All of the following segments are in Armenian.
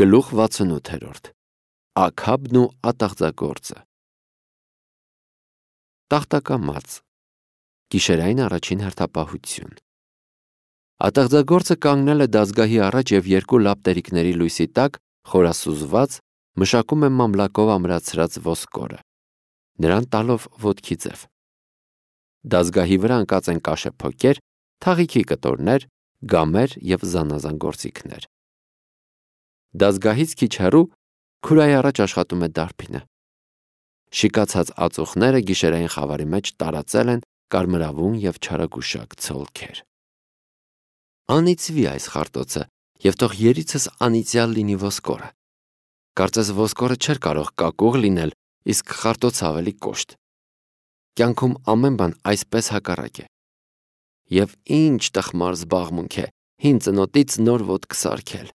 Գլուխ 68 Աքաբն ու ատաղձագործը Տախտակամած Գիշերային առաջին հերթապահություն Ատաղձագործը կանգնել է դազգահի առաջ և երկու լապտերիկների լույսի տակ խորասուզված մշակում է մամլակով ամրացրած ոսկորը, նրան տալով ոտքի ձև։ Դազգահի վրա ընկած են կաշեփոկեր, թաղիքի կտորներ, գամեր և զանազան գործիքներ։ Դազգահից քիչ հեռու քուրայի առաջ աշխատում է դարբինը։ Շիկացած ածուխները գիշերային խավարի մեջ տարածել են կարմրավուն և չարագուշակ ցոլքեր։ Անիծվի այս խարտոցը, և թող երիցս անիծյալ լինի ոսկորը։ Կարծես ոսկորը չէր կարող կակուղ լինել, իսկ խարտոցը ավելի կոշտ։ Կյանքում ամեն բան այսպես հակառակ է։ Եվ ինչ տխմար զբաղմունք է հին ծնոտից նոր ոտք սարքել։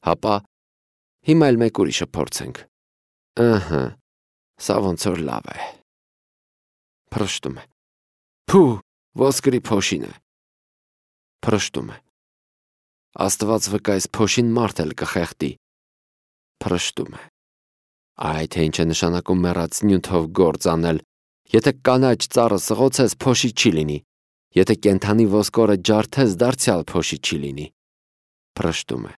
Հապա հիմա էլ մեկ ուրիշը փորձենք։ Ըհը, սա ոնց որ լավ է։ Փռշտում է։ Փու, ոսկրի փոշին է։ Փռշտում է։ Աստված վկա, այս փոշին մարդ էլ կխեղդի։ Փռշտում է։ Այ թե ինչ է նշանակում մեռած նյութով գործ անել։ Եթե կանաչ ծառը սղոցես, փոշի չի լինի։ Եթե կենդանի ոսկորը ջարդես, դարձյալ փոշի չի լինի։ Փռշտում է։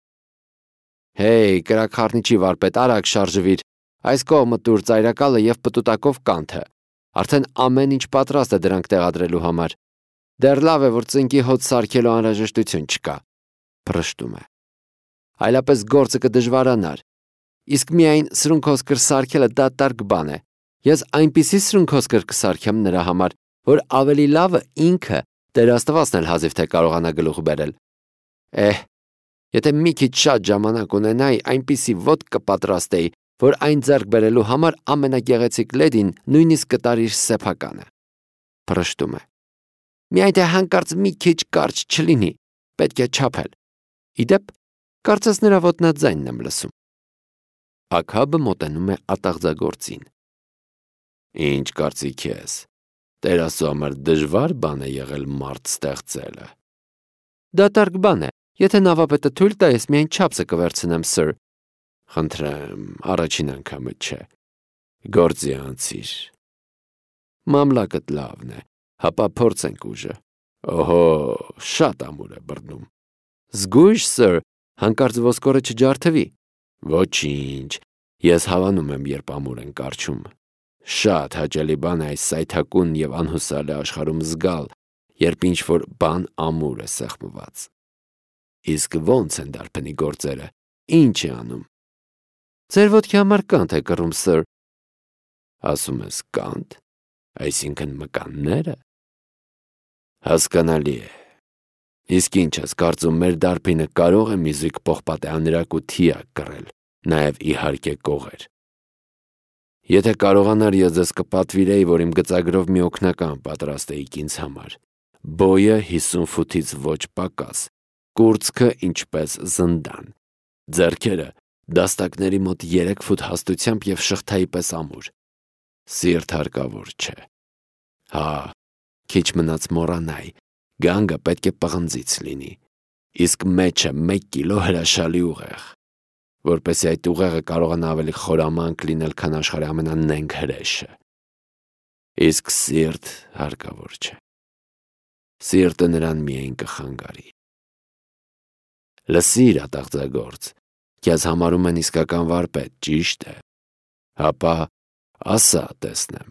Հեյ, կրակխառնիչի վարպետ, արագ շարժվիր, այս կողմը տուր ծայրակալը և պտուտակով կանթը, արդեն ամեն ինչ պատրաստ է դրանք տեղադրելու համար, դեռ լավ է, որ ծնկի հոտ սարքելու անհրաժեշտություն չկա։ Փռշտում է։ Այլապես գործը կդժվարանար, իսկ միայն սրունքոսկր սարքելը դատարկ բան է, ես այնպիսի սրունքոսկր կսարքեմ նրա համար, որ ավելի լավը ինքը Տեր Աստվածն էլ հազիվ թե կարողանա գլուխ բերել։ Եթե մի քիչ շատ ժամանակ ունենայի, այնպիսի ոտք կպատրաստեի, որ այն ձեռք բերելու համար ամենագեղեցիկ լեդին նույնիսկ կտար իր սեփականը։ Փռշտում է։ Միայն թե հանկարծ մի քիչ կարճ չլինի, պետք է չափել։ Իդեպ, կարծես նրա ոտնաձայնն եմ լսում։ Աքաբը մոտենում է ատաղձագործին։ Ինչ կարծիք ես, Տեր Աստծո համար դժվար բան է եղել մարդ ստեղծելը։ Դատարկ բան է, եթե նավապետը թույլ տա, ես միայն չափսը կվերցնեմ, սըր։ Խնդրեմ, առաջին անգամը չէ։ Գործի անցիր։ Մամլակդ լավն է, հապա փորձենք ուժը։ Օհո, շատ ամուր է բռնում։ Զգույշ, սըր, հանկարծ ոսկորը չջարդվի։ Ոչինչ, ես հավանում եմ, երբ ամուր են կառչում։ Շատ հաճելի բան է այս սայթաքուն և անհուսալի աշխարհում զգալ, երբ ինչ-որ բան ամուր է սեղմված։ Իսկ ո՞նց են դարբնի գործերը, ինչ է անում։ Ձեր ոտքի համար կանթ է կռում, սըր։ Ասում ես կանթ, այսինքն մկանները։ Հասկանալի է։ Իսկ ինչ ես կարծում, մեր դարբինը կարող է մի զույգ պողպատեանրակ ու թիակ կռել, նաև իհարկե կողեր։ Եթե կարողանար, ես ձեզ կպատվիրեի, որ իմ գծագրով մի օգնական պատրաստեիք ինձ համար։ Բոյը 50 ֆուտից ոչ պակաս, կուրծքը ինչպես զնդան, ձեռքերը դաստակների մոտ 3 ֆուտ հաստությամբ և շղթայի պես ամուր։ Սիրտ հարկավոր չէ։ Հա, քիչ մնաց մոռանայի, գանգը պետք է պղնձից լինի, իսկ մեջը 1 կիլո հրաշալի ուղեղ, որպեսզի այդ ուղեղը կարողանա ավելի խորամանկ լինել, քան աշխարհի ամենանենգ հրեշը։ Իսկ սիրտ հարկավոր չէ։ Սիրտը նրան միայն կխանգարի։ Լսիր, ատաղձագործ, քեզ համարում են իսկական վարպետ, ճիշտ է։ Հապա ասա, տեսնեմ։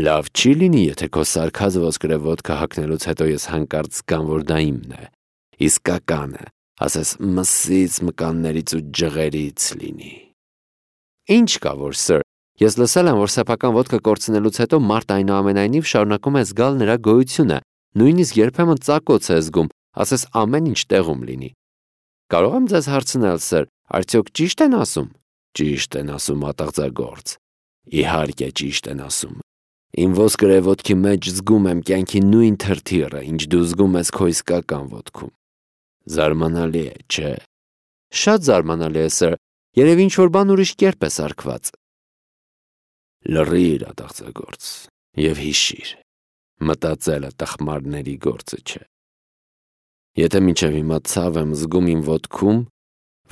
Լավ չի լինի, եթե քո սարքած ոսկրե ոտքը հագնելուց հետո ես հանկարծ զգամ, որ դա իմն է, իսկականը, ասես մսից, մկաններից ու ջղերից լինի։ Ինչ կա որ, սըր, ես լսել եմ, որ սեփական ոտքը կորցնելուց հետո մարդ այնուամենայնիվ շարունակում է զգալ նրա գոյությունը, նույնիսկ երբեմն ծակոց է զգում, ասես ամեն ինչ տեղում լինի։ Կարող եմ ձեզ հարցնել, սըր, արդյոք ճիշտ են ասում։ Ճիշտ են ասում, ատաղձագործ։ Իհարկե ճիշտ են ասում։ Իմ ոսկրե ոտքի մեջ զգում եմ կյանքի նույն թրթիռը, ինչ դու զգում ես քո իսկական ոտքում։ Զարմանալի է, չէ։ Շատ զարմանալի է, սըր, երևի ինչ-որ բան ուրիշ կերպ է սարքված։ Լռիր, ատաղձագործ, և հիշիր, մտածելը տխմարների գործը չէ։ Եթե մինչև հիմա ցավ եմ զգում իմ ոտքում,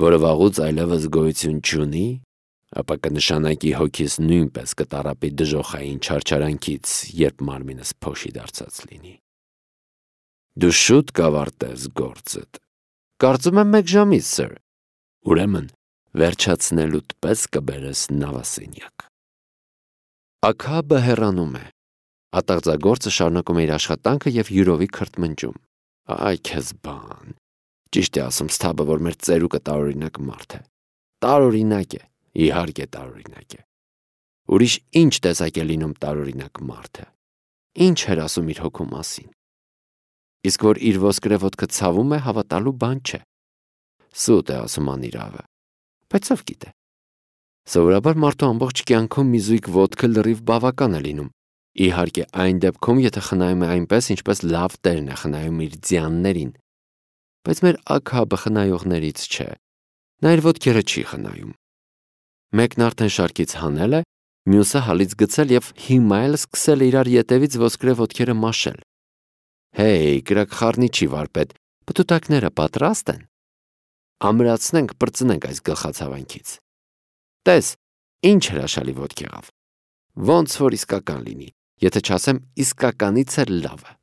որը վաղուց այլևս գոյություն չունի, ապա կնշանակի հոգիս նույնպես կտարապի դժոխային չարչարանքից, երբ մարմինս փոշի դարձած լինի։ Դու շուտ կավարտես գործդ։ Կարծում եմ 1 ժամից, սir։ Ուրեմն վերջացնելուդ պես կբերես նավասենյակ։ Աքաբը հեռանում է։ Ատաղձագործը շարունակում է իր աշխատանքը և յուրովի քրթմնջում։ Այ քեզ բան։ Ճիշտ է ասում Սթաբը, որ մեր ծերուկը տարօրինակ մարդ է։ Տարօրինակ է, իհարկե տարօրինակ է։ Ուրիշ ինչ տեսակ է լինում տարօրինակ մարդը։ Ինչ էր ասում իր հոգու մասին։ Իսկ որ իր ոսկրե ոտքը ցավում է, հավատալու բան չէ։ Սուտ է ասում անիրավը։ Բայց ով գիտե։ Սովորաբար մարդու ամբողջ կյանքում մի զույգ ոտքը լրիվ բավական է լինում։ Իհարկե այն դեպքում, եթե խնայում է այնպես, ինչպես լավ տերն է խնայում իր ձյաններին։ Բայց մեր Աքաբը խնայողներից չէ։ Նա իր ոտքերը չի խնայում։ Մեկն արդեն շարքից հանել է, մյուսը հալից գցել և հիմա էլ սկսել է իրար ետևից ոսկրե ոտքերը մաշել։ Հեյ, կրակ խառնիչի վարպետ, պտուտակները պատրաստ են։ Ամրացնենք, պրծնենք այս գլխացավանքից։ Տես, ինչ հրաշալի ոտք եղավ։ Ոնց որ իսկական լինի, եթե չասեմ իսկականից էլ լավը։